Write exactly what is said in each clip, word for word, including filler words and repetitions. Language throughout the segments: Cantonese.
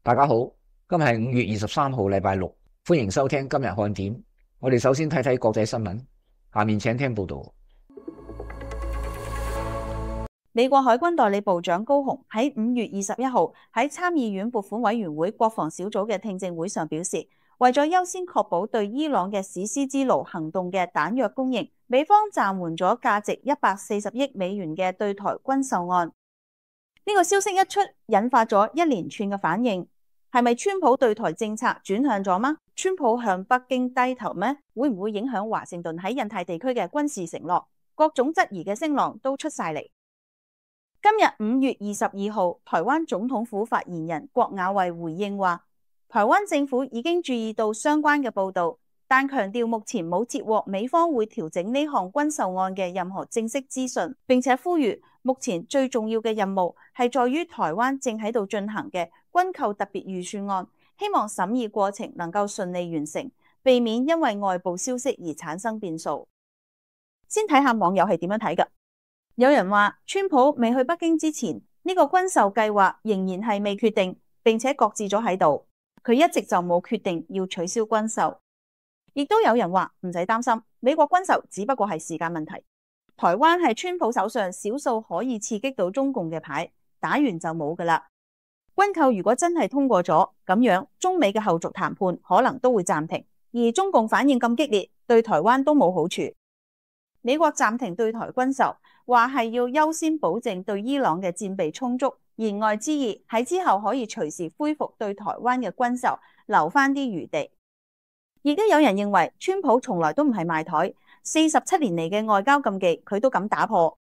大家好，今日係五月二十三號，禮拜六，歡迎收聽今日看點。我哋首先睇睇國際新聞，下面請聽報道。美國海軍代理部長高雄喺五月二十一號喺參議院撥款委員會國防小組嘅聽證會上表示，為咗優先確保對伊朗嘅史詩之爐行動嘅彈藥供應，美方暫緩咗價值一百四十億美元嘅對台軍售案。呢個消息一出，引發咗一連串嘅反應。係咪川普對台政策轉向咗嗎？川普向北京低頭咩？會唔會影響華盛頓喺印太地區嘅軍事承諾？各種質疑嘅聲浪都出晒嚟。今日五月二十二號，台灣總統府發言人郭雅慧回應話，台灣政府已經注意到相關嘅報道，但強調目前冇接獲美方會調整呢項軍售案嘅任何正式資訊，並且呼籲目前最重要嘅任務係在於台灣正喺度進行嘅軍購特別預算案，希望審議過程能夠順利完成，避免因為外部消息而產生變數。先睇下網友係點樣睇㗎。有人話川普未去北京之前，呢個軍售計劃仍然係未決定，並且擱置咗喺度，佢一直就冇決定要取消軍售。亦都有人話唔使擔心，美國軍售只不過係時間問題。台灣係川普手上少數可以刺激到中共嘅牌，打完就冇㗎喇。軍購如果真係通過咗，咁樣中美嘅後續談判可能都會暫停，而中共反應咁激烈，對台灣都冇好處。美國暫停對台軍售，話係要優先保證對伊朗嘅戰備充足，言外之意喺之後可以隨時恢復對台灣嘅軍售，留翻啲餘地。亦都有人認為川普從來都唔係賣台，四十七年嚟嘅外交禁忌佢都敢打破，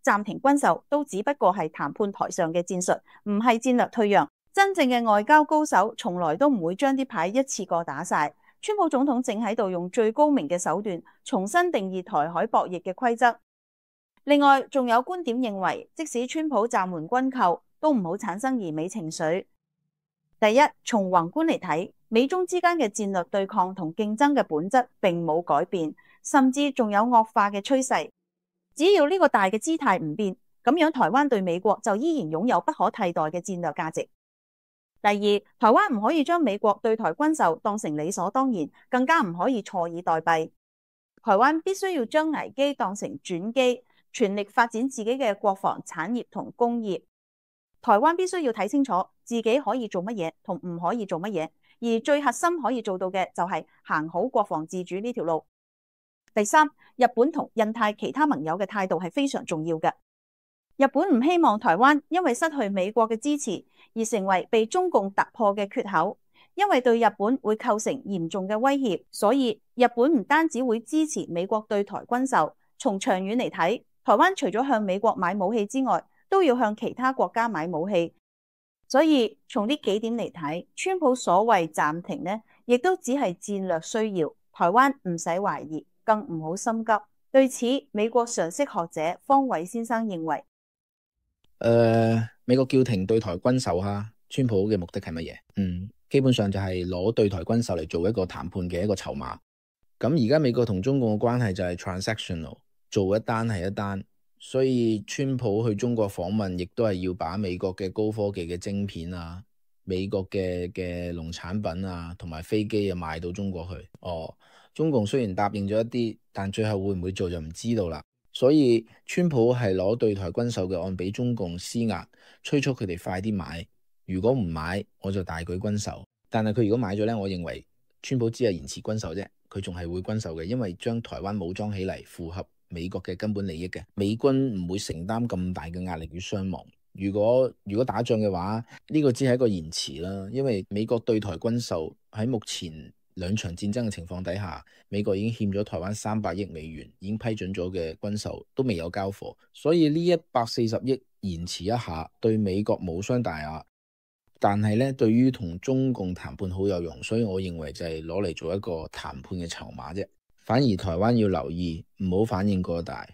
暫停軍售都只不過係談判台上嘅戰術，唔係戰略退讓。真正嘅外交高手從來都唔會將啲牌一次過打晒。川普總統正喺度用最高明嘅手段重新定義台海博弈嘅規則。另外仲有觀點認為，即使川普暫緩軍購，都唔好產生疑美情緒。第一，從宏觀嚟睇，美中之間嘅戰略對抗同競爭嘅本質並冇改變，甚至仲有惡化嘅趨勢。只要呢個大嘅姿態唔變，咁樣台灣對美國就依然擁有不可替代嘅戰略價值。第二，台灣唔可以將美國對台軍售當成理所當然，更加唔可以坐以待斃。台灣必須要將危機當成轉機，全力發展自己嘅國防產業同工業。台灣必須要睇清楚自己可以做乜嘢同唔可以做乜嘢，而最核心可以做到嘅就係行好國防自主呢條路。第三，日本同印太其他盟友嘅態度係非常重要嘅。日本唔希望台灣因為失去美國嘅支持而成為被中共突破嘅缺口，因為對日本會構成嚴重嘅威脅，所以日本唔單止會支持美國對台軍售，從長遠嚟睇，台灣除咗向美國買武器之外，都要向其他國家買武器。所以從呢幾點嚟睇，川普所謂暫停呢，亦都只係戰略需要，台灣唔使懷疑，更唔好心急。對此，美國常識學者方偉先生認為，誒、呃，美國叫停對台軍售哈，川普嘅目的係乜嘢？嗯，基本上就係攞對台軍售嚟做一個談判嘅一個籌碼。咁而家美國同中共嘅關係就係 transactional， 做一單係一單，所以川普去中國訪問，亦都係要把美國嘅高科技嘅晶片啊、美國嘅嘅農產品啊，同埋飛機啊賣到中國去。哦，中共雖然答應咗一啲，但最後會唔會做就唔知道啦。所以川普係攞對台軍售嘅案俾中共施壓，催促佢哋快啲買。如果唔買，我就大舉軍售。但係佢如果買咗呢，我認為川普只係延遲軍售啫，佢仲係會軍售嘅，因為將台灣武裝起嚟符合美國嘅根本利益嘅。美軍唔會承擔咁大嘅壓力與傷亡。如果如果打仗嘅話，呢個只係一個延遲啦，因為美國對台軍售喺目前兩場戰爭嘅情況底下，美國已經欠咗台灣三百億美元，已經批准咗嘅軍售都未有交貨，所以呢一百四十億延遲一下對美國無傷大雅，但係咧對於同中共談判好有用，所以我認為就係攞嚟做一個談判嘅籌碼啫。反而台灣要留意，唔好反應過大。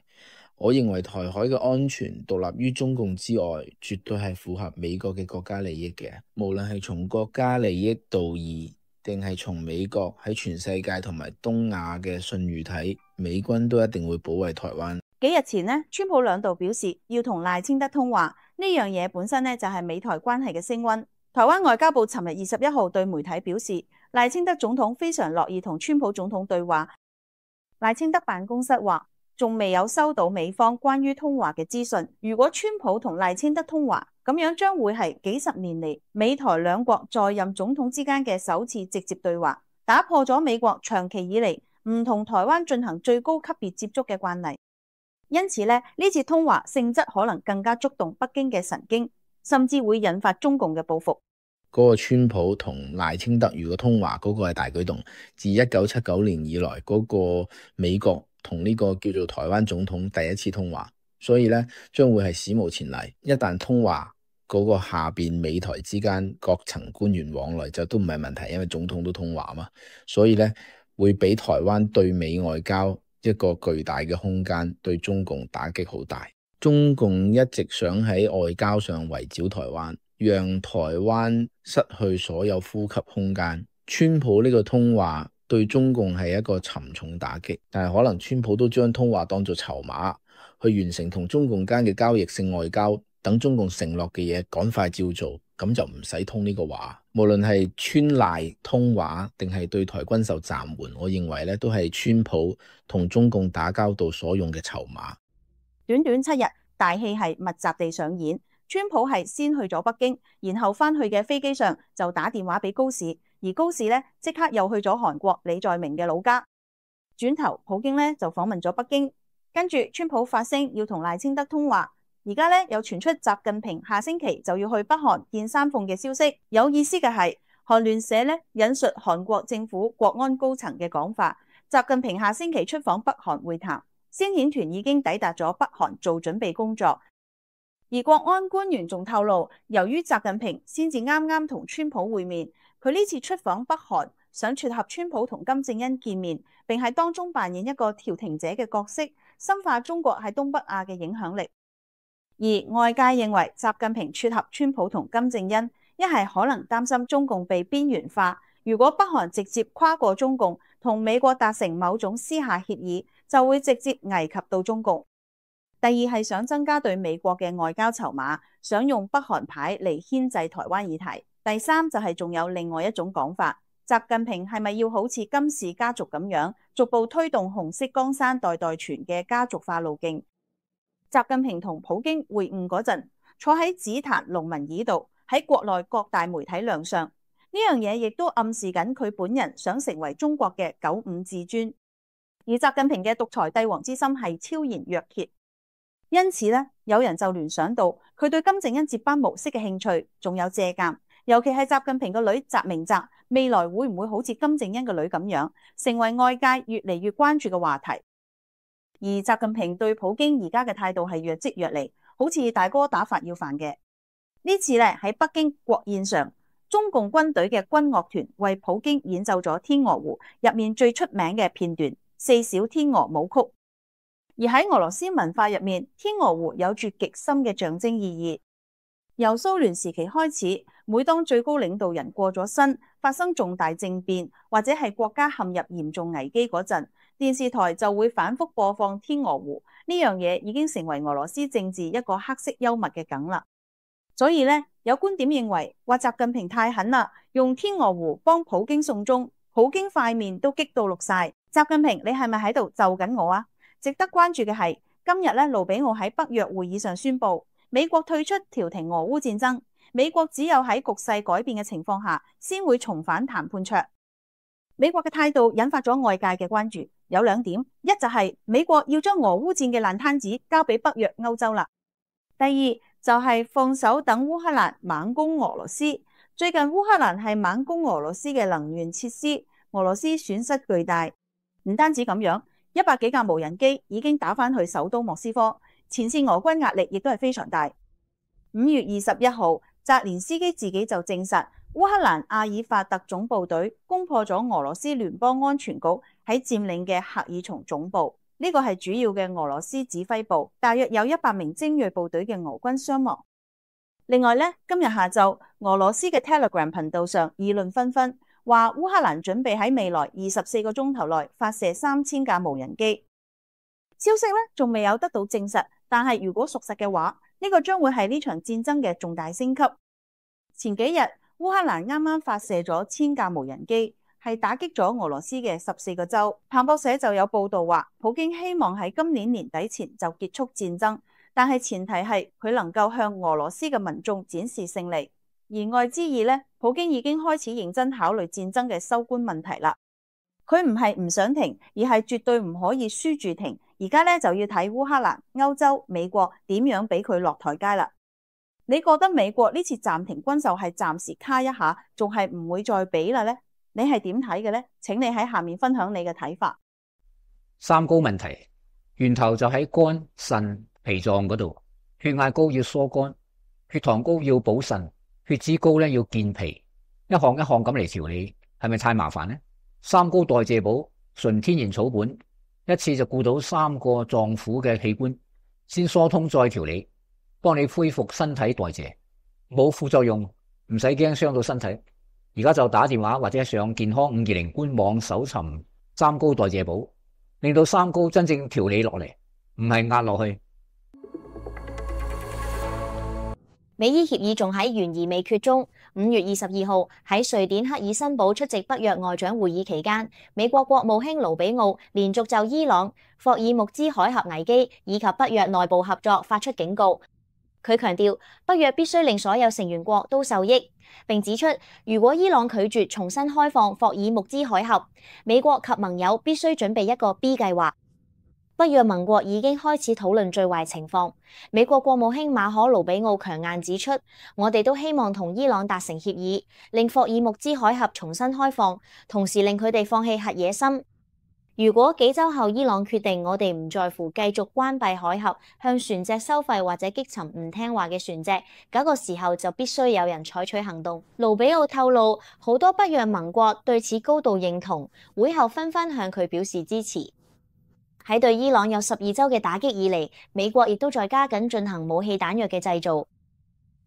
我認為台海嘅安全獨立於中共之外，絕對係符合美國嘅國家利益嘅，無論係從國家利益道義，定係從美國喺全世界同埋東亞嘅信譽睇，美軍都一定會保衛台灣。幾日前呢，川普兩度表示要同賴清德通話，呢樣嘢本身呢就係美台關係嘅升溫。台灣外交部尋日二十一號對媒體表示，賴清德總統非常樂意同川普總統對話。賴清德辦公室話，仲未有收到美方關於通話嘅資訊。如果川普同賴清德通話，咁樣將會係幾十年嚟美台兩國在任總統之間嘅首次直接對話，打破咗美國長期以嚟唔同台灣進行最高級別接觸嘅慣例。因此呢，呢次通話性質可能更加觸動北京嘅神經，甚至會引發中共嘅報復。嗰個川普同賴清德如果通話，嗰個係大舉動。自一九七九年以來，嗰個美國同呢個叫做台灣總統第一次通話，所以呢將會係史無前例。一旦通話，嗰個下邊美台之間各層官員往來就都唔係問題，因為總統都通話嘛，所以呢會俾台灣對美外交一個巨大嘅空間，對中共打擊好大。中共一直想喺外交上圍剿台灣，讓台灣失去所有呼吸空間。川普呢個通話對中共係一個沉重打擊，但係可能川普都將通話當作籌碼，去完成同中共間嘅交易性外交，等中共承諾嘅嘢趕快照做，咁就唔使通呢個話。無論係川賴通話定係對台軍售暫緩，我認為咧都係川普同中共打交道所用嘅籌碼。短短七日，大戲係密集地上演。川普係先去咗北京，然後翻去嘅飛機上就打電話俾高市，而高市咧即刻又去咗韓國李在明嘅老家。轉頭普京咧就訪問咗北京，跟住川普發聲要同賴清德通話。而家咧又傳出習近平下星期就要去北韓見山鳳嘅消息。有意思嘅係，韓聯社咧引述韓國政府國安高層嘅講法，習近平下星期出訪北韓會談，先遣團已經抵達咗北韓做準備工作。而國安官員仲透露，由於習近平先至啱啱同川普會面，佢呢次出訪北韓，想撮合川普同金正恩見面，並喺當中扮演一個調停者嘅角色，深化中國喺東北亞嘅影響力。而外界認為習近平撮合川普同金正恩，一係可能擔心中共被邊緣化，如果北韓直接跨過中共同美國達成某種私下協議，就會直接危及到中共。第二係想增加對美國嘅外交籌碼，想用北韓牌嚟牽制台灣議題。第三就係仲有另外一種講法，習近平係咪要好似金氏家族咁樣，逐步推動紅色江山代代傳嘅家族化路徑？習近平同普京會晤嗰陣，坐喺紫檀龍文椅度，喺國內各大媒體亮相，呢樣嘢亦都暗示緊佢本人想成為中國嘅九五至尊。而習近平嘅獨裁帝王之心係超然若揭。因此咧，有人就聯想到佢對金正恩接班模式嘅興趣，仲有借鑑，尤其係習近平個女習明澤未來會唔會好似金正恩個女咁樣，成為外界越嚟越關注嘅話題。而習近平對普京而家嘅態度係若即若離，好似大哥打發要飯嘅。呢次咧喺北京國宴上，中共軍隊嘅軍樂團為普京演奏咗《天鵝湖》入面最出名嘅片段《四小天鵝舞曲》。而喺俄羅斯文化入面，天鵝湖有住極深嘅象徵意義。由蘇聯時期開始，每當最高領導人過咗身，發生重大政變，或者係國家陷入嚴重危機嗰陣，電視台就會反覆播放天鵝湖。呢樣嘢已經成為俄羅斯政治一個黑色幽默嘅梗啦。所以呢，有觀點認為話習近平太狠啦，用天鵝湖幫普京送終，普京塊面都激到綠晒。習近平，你係咪喺度就緊我啊？值得關注嘅係，今日咧，盧比奧喺北約會議上宣布，美國退出調停俄烏戰爭。美國只有喺局勢改變嘅情況下，先會重返談判桌。美國嘅態度引發咗外界嘅關注，有兩點：一就係美國要將俄烏戰嘅爛攤子交俾北約歐洲啦；第二就係放手等烏克蘭猛攻俄羅斯。最近烏克蘭係猛攻俄羅斯嘅能源設施，俄羅斯損失巨大。唔單止咁樣。一百幾架無人機已經打返去首都莫斯科，前線俄軍壓力亦都係非常大。五月二十一號，澤連斯基自己就證實，烏克蘭阿爾法特種部隊攻破咗俄羅斯聯邦安全局喺佔領嘅赫爾松總部，呢、這個係主要嘅俄羅斯指揮部，大約有一百名精銳部隊嘅俄軍傷亡。另外呢，今日下晝，俄羅斯嘅 Telegram 頻道上議論紛紛。話烏克蘭準備喺未來二十四個鐘頭內發射三千架無人機，消息咧仲未有得到證實，但係如果屬實嘅話，呢個將會係呢場戰爭嘅重大升級。前幾日烏克蘭啱啱發射咗千架無人機，係打擊咗俄羅斯嘅十四個州。彭博社就有報道話，普京希望喺今年年底前就結束戰爭，但係前提係佢能夠向俄羅斯嘅民眾展示勝利。言外之意呢，普京已經開始認真考慮戰爭嘅收官問題啦。佢唔係唔想停，而係絕對唔可以輸住停。而家咧就要睇烏克蘭、歐洲、美國點樣俾佢落台階啦。你覺得美國呢次暫停軍售係暫時卡一下，仲係唔會再俾啦呢？你係點睇嘅呢？請你喺下面分享你嘅睇法。三高問題源頭就喺肝、腎、脾臟嗰度。血壓高要疏肝，血糖高要補腎，血脂高咧要健脾，一項一項咁嚟調理，係咪太麻煩呢？三高代謝寶純天然草本，一次就顧到三個臟腑嘅器官，先疏通再調理，幫你恢復身體代謝，冇副作用，唔使驚傷到身體。而家就打電話或者上健康五二零官網搜尋三高代謝寶，令到三高真正調理落嚟，唔係壓落去。美伊協議仲喺懸而未決中。五月二十二號喺瑞典赫爾辛堡出席北約外長會議期間，美國國務卿盧比奧連續就伊朗、霍爾木茲海峽危機以及北約內部合作發出警告。佢強調北約必須令所有成員國都受益，並指出如果伊朗拒絕重新開放霍爾木茲海峽，美國及盟友必須準備一個 B 計劃。北約盟國已經開始討論最壞情況。美國國務卿馬可盧比奧強硬指出，我哋都希望同伊朗達成協議，令霍爾木茲海峽重新開放，同時令佢哋放棄核野心。如果幾週後伊朗決定我哋唔在乎繼續關閉海峽，向船隻收費或者擊沉唔聽話嘅船隻，嗰個時候就必須有人採取行動。盧比奧透露，好多北約盟國對此高度認同，會後紛紛向佢表示支持。喺對伊朗有十二週嘅打擊以嚟，美國亦都在加緊進行武器彈藥嘅製造。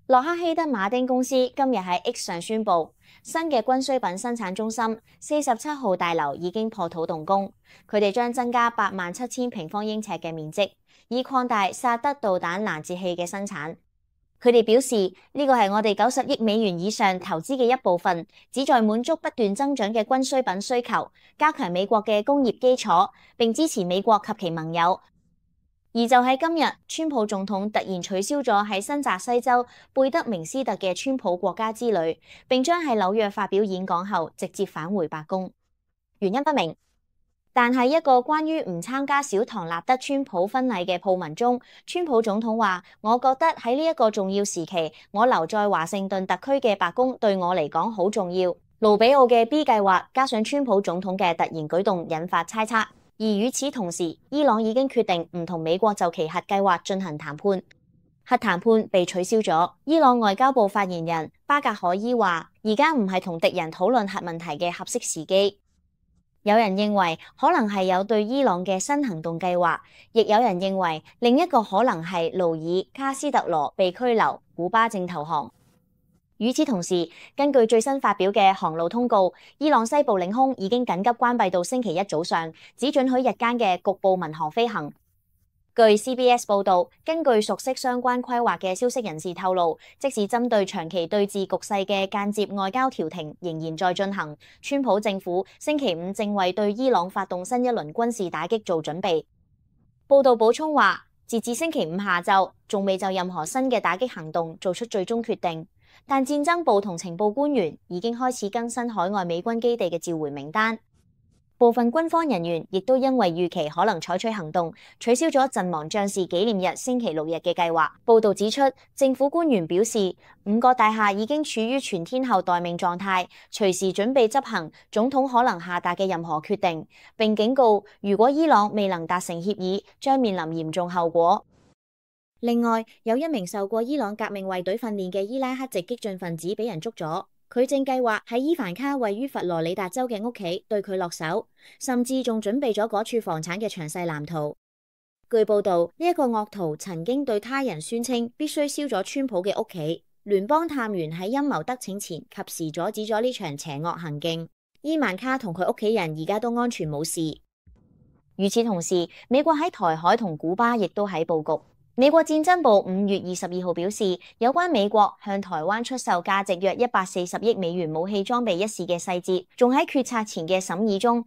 洛克希德馬丁公司今日喺 X 上宣布，新嘅軍需品生產中心四十七號大樓已經破土動工，佢哋將增加八萬七千平方英尺嘅面積，以擴大薩德導彈攔截器嘅生產。佢哋表示，呢個係我哋九十億美元以上投資嘅一部分，旨在滿足不斷增長嘅軍需品需求，加強美國嘅工業基礎，並支持美國及其盟友。而就喺今日，川普總統突然取消咗喺新澤西州貝德明斯特嘅川普國家之旅，並將喺紐約發表演講後直接返回白宮，原因不明。但係一個關於唔參加小唐納德川普婚禮嘅訃文中，川普總統話：我覺得喺呢一個重要時期，我留在華盛頓特區嘅白宮對我嚟講好重要。盧比奧嘅 B 計劃加上川普總統嘅突然舉動，引發猜測。而與此同時，伊朗已經決定唔同美國就其核計劃進行談判，核談判被取消咗。伊朗外交部發言人巴格海伊話：而家唔係同敵人討論核問題嘅合適時機。有人認為可能係有對伊朗嘅新行動計劃，亦有人認為另一個可能係勞爾卡斯特羅被拘留，古巴正投降。與此同時，根據最新發表嘅航路通告，伊朗西部領空已經緊急關閉到星期一早上，只准許日間嘅局部民航飛行。據 C B S 報導，根據熟悉相關規劃嘅消息人士透露，即使針對長期對峙局勢嘅間接外交調停仍然在進行，川普政府星期五正為對伊朗發動新一輪軍事打擊做準備。報導補充話，截至星期五下晝，仲未就任何新嘅打擊行動做出最終決定，但戰爭部同情報官員已經開始更新海外美軍基地嘅召回名單。部分軍方人員亦都因為預期可能採取行動，取消咗陣亡將士紀念日星期六日嘅計劃。報導指出，政府官員表示，五個大廈已經處於全天候待命狀態，隨時準備執行總統可能下達嘅任何決定，並警告，如果伊朗未能達成協議，將面臨嚴重後果。另外，有一名受過伊朗革命衛隊訓練嘅伊拉克籍激進分子俾人捉咗。佢正計劃喺伊凡卡位於佛羅里達州嘅屋企對佢落手，甚至仲準備咗嗰處房產嘅詳細藍圖。據報道，呢一個惡徒曾經對他人宣稱必須燒咗川普嘅屋企。聯邦探員喺陰謀得逞前，及時阻止咗呢場邪惡行徑。伊萬卡同佢屋企人而家都安全冇事。與此同時，美國喺台海同古巴亦都喺佈局。美國戰爭部五月二十二號表示，有關美國向台灣出售價值約一百四十億美元武器裝備一事嘅細節，仲喺決策前嘅審議中。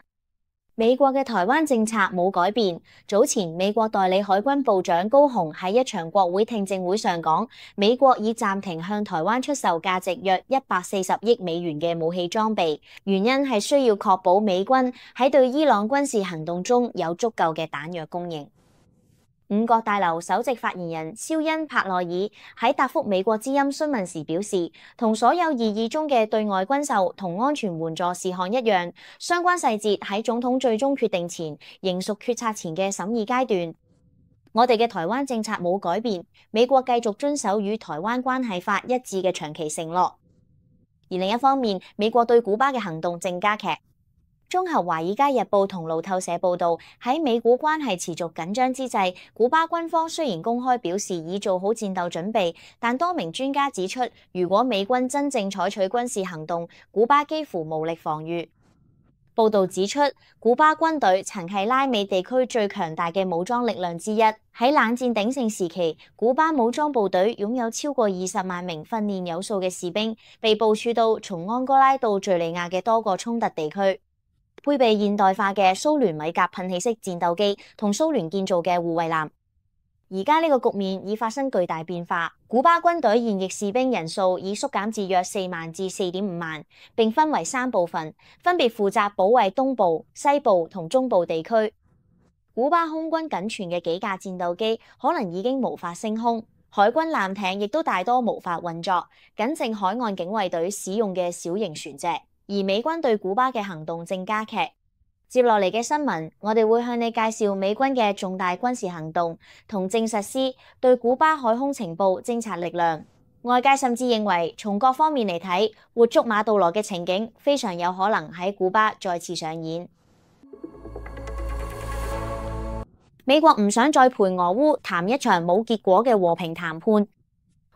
美國嘅台灣政策冇改變。早前美國代理海軍部長高雄喺一場國會聽證會上講，美國已暫停向台灣出售價值約一百四十億美元嘅武器裝備，原因係需要確保美軍喺對伊朗軍事行動中有足夠嘅彈藥供應。五角大樓首席發言人肖恩帕內爾喺答覆美國之音詢問時表示，同所有擬議中嘅對外軍售同安全援助事項一樣，相關細節喺總統最終決定前仍屬決策前嘅審議階段。我哋嘅台灣政策冇改變，美國繼續遵守與台灣關係法一致嘅長期承諾。而另一方面，美國對古巴嘅行動正加劇。綜合《華爾街日報》同路透社報導，喺美古關係持續緊張之際，古巴軍方雖然公開表示已做好戰鬥準備，但多名專家指出，如果美軍真正採取軍事行動，古巴幾乎無力防禦。報導指出，古巴軍隊曾係拉美地區最強大嘅武裝力量之一。喺冷戰鼎盛時期，古巴武裝部隊擁有超過二十萬名訓練有素嘅士兵，被部署到從安哥拉到敘利亞嘅多個衝突地區。配備現代化嘅蘇聯米格噴氣式戰鬥機同蘇聯建造嘅護衛艦。而家呢個局面已發生巨大變化，古巴軍隊現役士兵人數已縮減至約四萬至四點五萬，並分為三部分，分別負責保衛東部、西部同中部地區。古巴空軍僅存嘅幾架戰鬥機可能已經無法升空，海軍艦艇亦都大多無法運作，僅剩海岸警衛隊使用嘅小型船隻。而美軍對古巴嘅行動正加劇。接落嚟嘅新聞，我哋會向你介紹美軍嘅重大軍事行動同正實施對古巴海空情報偵察力量。外界甚至認為，從各方面嚟睇，活捉馬杜羅嘅情景非常有可能喺古巴再次上演。美國唔想再陪俄烏談一場冇結果嘅和平談判。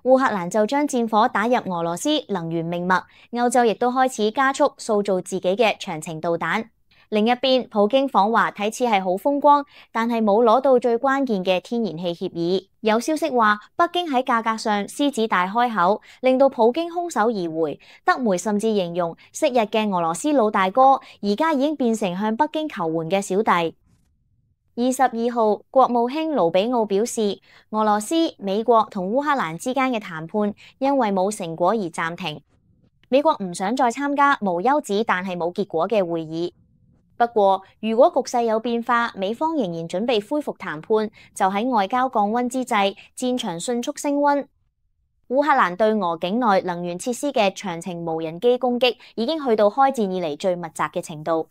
烏克蘭就將戰火打入俄羅斯能源命脈，歐洲亦都開始加速塑造自己嘅長程導彈。另一邊，普京訪華睇似係好風光，但係冇攞到最關鍵嘅天然氣協議。有消息話，北京喺價格上獅子大開口，令到普京空手而回。德媒甚至形容，昔日嘅俄羅斯老大哥，而家已經變成向北京求援嘅小弟。二十二號，國務卿盧比奧表示，俄羅斯、美國同烏克蘭之間嘅談判因為冇成果而暫停。美國唔想再參加無休止但係冇結果嘅會議。不過，如果局勢有變化，美方仍然準備恢復談判，就喺外交降溫之際，戰場迅速升溫。烏克蘭對俄境內能源設施嘅長程無人機攻擊已經去到開戰以嚟最密集嘅程度。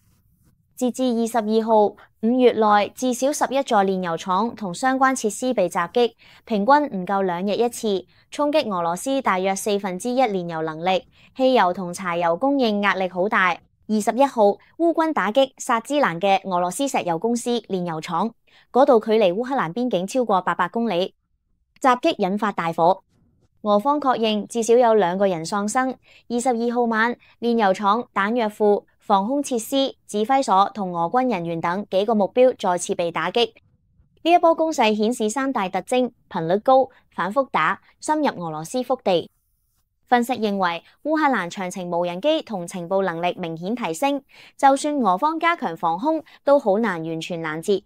截至二十二號，五月內至少十一座煉油廠同相關設施被襲擊，平均唔夠兩日一次，衝擊俄羅斯大約四分之一煉油能力，汽油同柴油供應壓力好大。二十一號，烏軍打擊薩茲蘭嘅俄羅斯石油公司煉油廠，嗰度距離烏克蘭邊境超過八百公里，襲擊引發大火。俄方確認至少有兩個人喪生。二十二號晚，煉油廠、彈藥庫、防空設施、指揮所同俄軍人員等幾個目標再次被打擊。呢一波攻勢顯示三大特徵：頻率高、反覆打、深入俄羅斯腹地。分析認為，烏克蘭長程無人機同情報能力明顯提升，就算俄方加強防空，都好難完全攔截。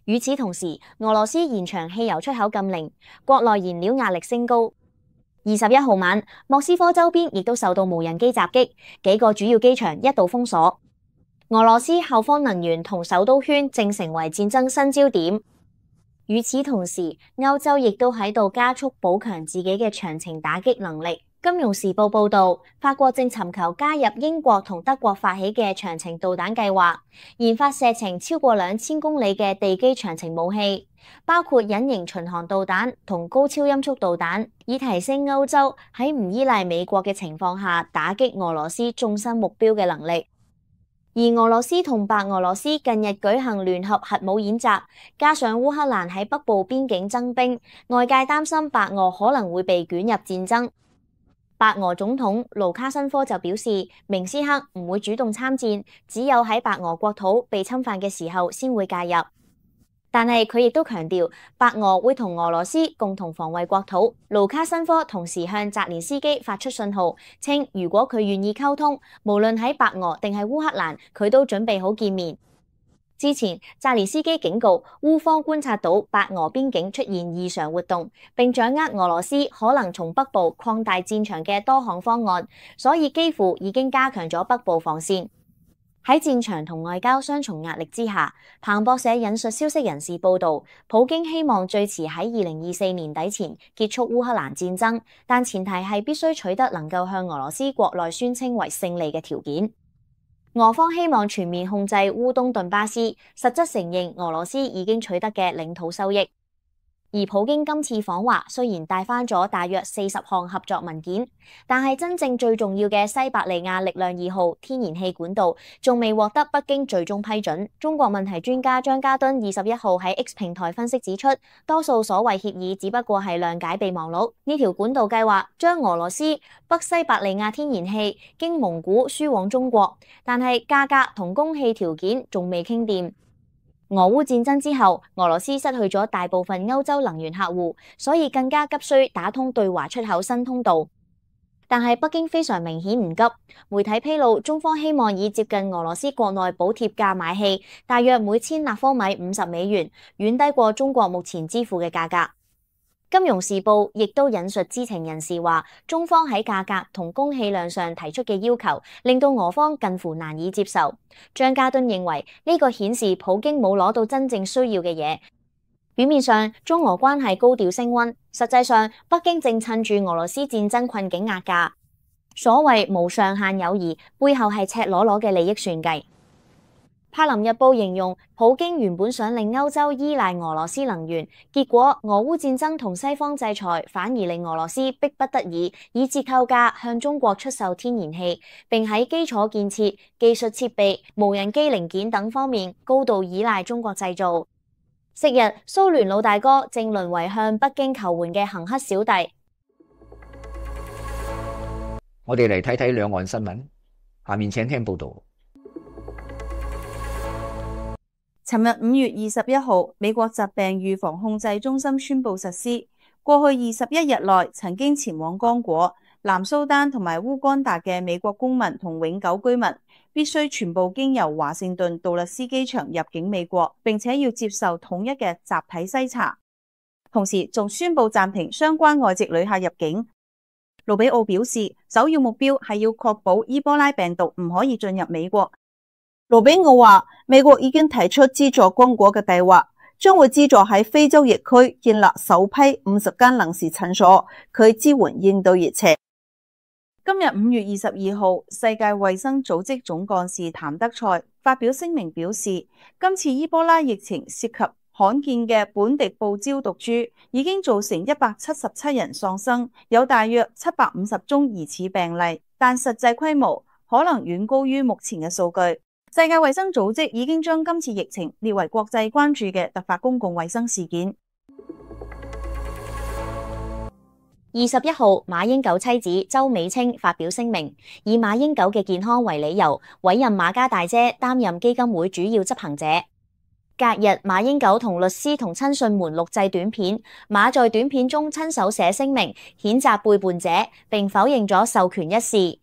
與此同時，俄羅斯延長汽油出口禁令，國內燃料壓力升高。二十一號晚，莫斯科周邊亦都受到無人機襲擊，幾個主要機場一度封鎖。俄羅斯後方能源同首都圈正成為戰爭新焦點。與此同時，歐洲亦都喺度加速補強自己嘅長程打擊能力。金融時報報導，法國正尋求加入英國同德國發起嘅長程導彈計劃，研發射程超過兩千公里嘅地基長程武器，包括隱形巡航導彈同高超音速導彈，以提升歐洲喺唔依賴美國嘅情況下打擊俄羅斯縱深目標嘅能力。而俄羅斯同白俄羅斯近日舉行聯合核武演習，加上烏克蘭喺北部邊境增兵，外界擔心白俄可能會被捲入戰爭。白俄總統盧卡申科就表示，明斯克唔會主動參戰，只有喺白俄國土被侵犯嘅時候先會介入。但係佢亦都強調，白俄會同俄羅斯共同防衛國土。盧卡申科同時向澤連斯基發出信號，稱如果佢願意溝通，無論喺白俄定係烏克蘭，佢都準備好見面。之前，澤連斯基警告烏方觀察到白俄邊境出現異常活動，並掌握俄羅斯可能從北部擴大戰場嘅多項方案，所以幾乎已經加強咗北部防線。喺戰場同外交雙重壓力之下，彭博社引述消息人士報導，普京希望最遲喺二零二四年底前結束烏克蘭戰爭，但前提係必須取得能夠向俄羅斯國內宣稱為勝利嘅條件。俄方希望全面控制烏東頓巴斯，實質承認俄羅斯已經取得嘅領土收益。而普京今次訪華雖然帶返咗大約四十項合作文件，但係真正最重要嘅西伯利亞力量二號天然氣管道仲未獲得北京最終批准。中國問題專家張家敦二十一號喺 X 平台分析指出，多數所謂協議只不過係諒解備忘錄。呢條管道計劃將俄羅斯北西伯利亞天然氣經蒙古輸往中國，但係價格同供氣條件仲未傾掂。俄烏戰爭之後，俄羅斯失去咗大部分歐洲能源客戶，所以更加急需打通對華出口新通道。但係北京非常明顯唔急。媒體披露，中方希望以接近俄羅斯國內補貼價買氣，大約每千立方米五十美元，遠低過中國目前支付嘅價格。金融時報亦都引述知情人士話，中方喺價格同供氣量上提出嘅要求，令到俄方近乎難以接受。張家敦認為呢個顯示普京冇攞到真正需要嘅嘢。表面上中俄關係高調升溫，實際上北京正趁住俄羅斯戰爭困境壓價。所謂無上限友誼，背後係赤裸裸嘅利益算計。柏林日報形容，普京原本想令歐洲依賴俄羅斯能源，結果俄烏戰爭同西方制裁反而令俄羅斯迫不得已以折扣價向中國出售天然氣，並喺基礎建設、技術設備、無人機零件等方面高度依賴中國製造。昔日蘇聯老大哥正淪為向北京求援嘅行乞小弟。我哋嚟睇睇兩岸新聞，下面請聽報道。尋日五月二十一號，美國疾病預防控制中心宣布實施，過去二十一日內曾經前往剛果、南蘇丹同埋烏干達嘅美國公民同永久居民，必須全部經由華盛頓杜勒斯機場入境美國，並且要接受統一嘅集體篩查。同時仲宣布暫停相關外籍旅客入境。盧比奧表示，首要目標係要確保伊波拉病毒唔可以進入美國。盧比奧話，美國已經提出資助剛果嘅計劃，將會資助喺非洲疫區建立首批五十間臨時診所，佢支援應對疫情。今日五月二十二號，世界衛生組織總幹事譚德塞發表聲明表示，今次伊波拉疫情涉及罕見嘅本地布焦毒株，已經造成一百七十七人喪生，有大約七百五十宗疑似病例，但實際規模可能遠高於目前嘅數據。世界衛生組織已經將今次疫情列為國際關注嘅突發公共衛生事件。二十一號，馬英九妻子周美青發表聲明，以馬英九嘅健康為理由，委任馬家大姐擔任基金會主要執行者。隔日，馬英九同律師同親信們錄製短片，馬在短片中親手寫聲明，譴責背叛者，並否認咗授權一事。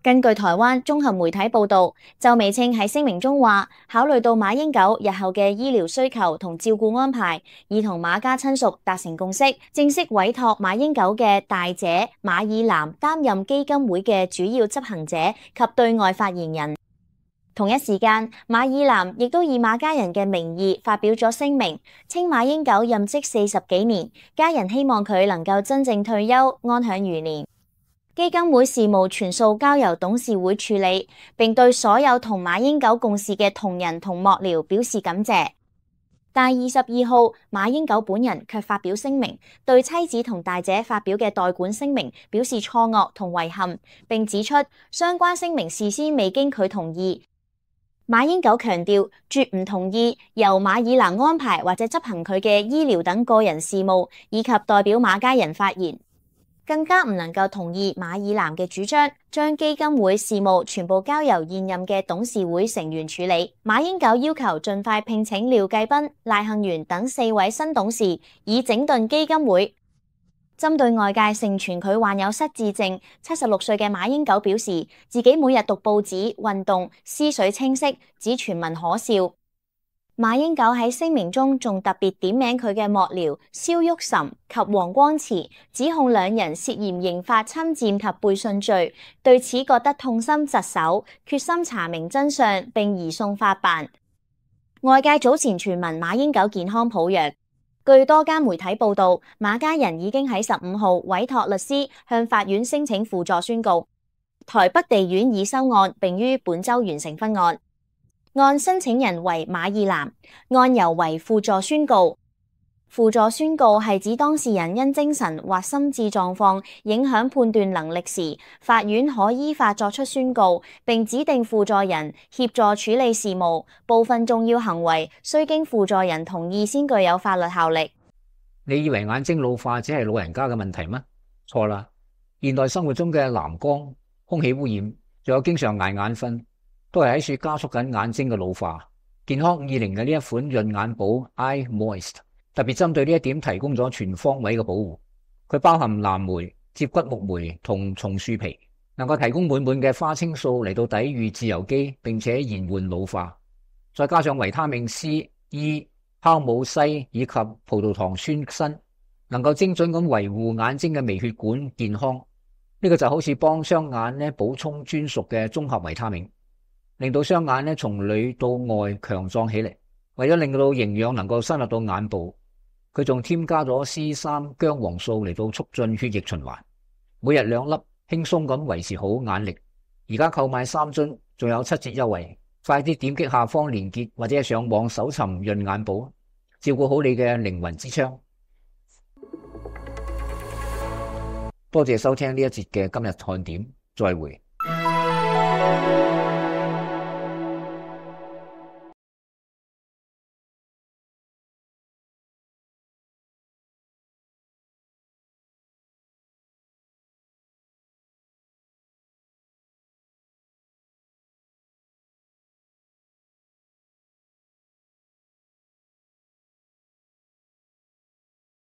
根據台灣綜合媒體報道，周美青喺聲明中話，考慮到馬英九日後嘅醫療需求同照顧安排，已同馬家親屬達成共識，正式委託馬英九嘅大姐馬爾南擔任基金會嘅主要執行者及對外發言人。同一時間，馬爾南亦都以馬家人嘅名義發表咗聲明，稱馬英九任職四十幾年，家人希望佢能夠真正退休，安享餘年。基金會事務全數交由董事會處理，並對所有同馬英九共事嘅同仁同幕僚表示感謝。但二十二號，馬英九本人卻發表聲明，對妻子同大姐發表嘅代管聲明表示錯愕同遺憾，並指出相關聲明事先未經佢同意。馬英九強調，絕唔同意由馬爾南安排或者執行佢嘅醫療等個人事務，以及代表馬家人發言。更加唔能夠同意馬爾南嘅主張，將基金會事務全部交由現任嘅董事會成員處理。馬英九要求盡快聘請廖繼斌、賴幸元等四位新董事，以整頓基金會。針對外界盛傳佢患有失智症，七十六歲嘅馬英九表示，自己每日讀報紙、運動，思緒清晰，指傳聞可笑。馬英九喺聲明中仲特別點名佢嘅幕僚蕭旭岑及黃光慈，指控兩人涉嫌刑法侵佔及背信罪，對此覺得痛心疾首，決心查明真相並移送法辦。外界早前傳聞馬英九健康抱弱。據多家媒體報道，馬家人已經喺十五號委託律師向法院申請輔助宣告，台北地院已收案，並於本週完成分案。案申請人為馬爾南，案由為輔助宣告。輔助宣告係指當事人因精神或心智狀況影響判斷能力時，法院可依法作出宣告，並指定輔助人協助處理事務。部分重要行為須經輔助人同意先具有法律效力。你以為眼睛老化只係老人家嘅問題嗎？錯啦！現代生活中嘅藍光、空氣污染，仲有經常捱眼瞓，都係喺處加速緊眼睛嘅老化。健康五二零嘅呢一款潤眼寶 Eye Moist，特別針對呢一點提供咗全方位嘅保護。佢包含藍莓、接骨木莓同松樹皮，能夠提供滿滿嘅花青素嚟到抵禦自由基，並且延緩老化。再加上維他命 C、E、酵母硒以及葡萄糖酸鋅，能夠精準咁維護眼睛嘅微血管健康。呢個就好似幫雙眼咧補充專屬嘅綜合維他命，令到雙眼咧從裏到外強壯起嚟。為咗令到營養能夠深入到眼部，佢仲添加咗 C 三 薑黃素嚟到促進血液循環，每日兩粒，輕鬆咁維持好眼力。而家購買三樽，仲有七折優惠，快啲點擊下方連結或者係上網搜尋潤眼寶，照顧好你嘅靈魂之窗。多謝收聽呢一節嘅今日看點，再會。